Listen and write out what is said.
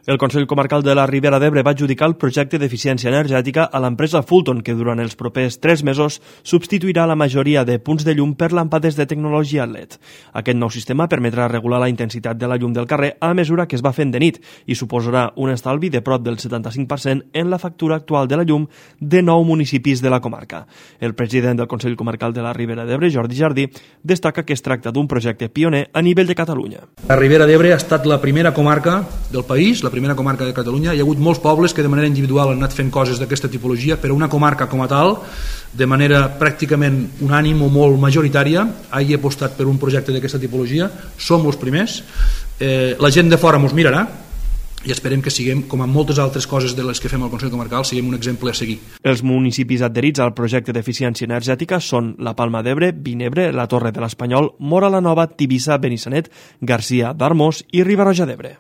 El Consell Comarcal de la Ribera d'Ebre va adjudicar el projecte d'eficiència energètica a l'empresa Fulton, que durant els propers 3 mesos substituirà la majoria de punts de llum per làmpades de tecnologia LED. Aquest nou sistema permetrà regular la intensitat de la llum del carrer a mesura que es va fent de nit i suposarà un estalvi de prop del 75% en la factura actual de la llum de 9 municipis de la comarca. El president del Consell Comarcal de la Ribera d'Ebre, Jordi Jardí, destaca que es tracta d'un projecte pioner a nivell de Catalunya. La Ribera d'Ebre ha estat la primera comarca del país, la primera comarca de Catalunya. Hi ha hagut molts pobles que de manera individual han anat fent coses d'aquesta tipologia, però una comarca com a tal, de manera pràcticament unànim o molt majoritària, hagi apostat per un projecte d'aquesta tipologia. Som els primers. La gent de fora mos mirarà i esperem que siguem, com amb moltes altres coses de les que fem al Consell Comarcal, siguem un exemple a seguir. Els municipis adherits al projecte d'eficiència energètica són la Palma d'Ebre, Vinebre, la Torre de l'Espanyol, Móra la Nova, Tivissa, Benissanet, Garcia d'Armós i Riba-roja d'Ebre.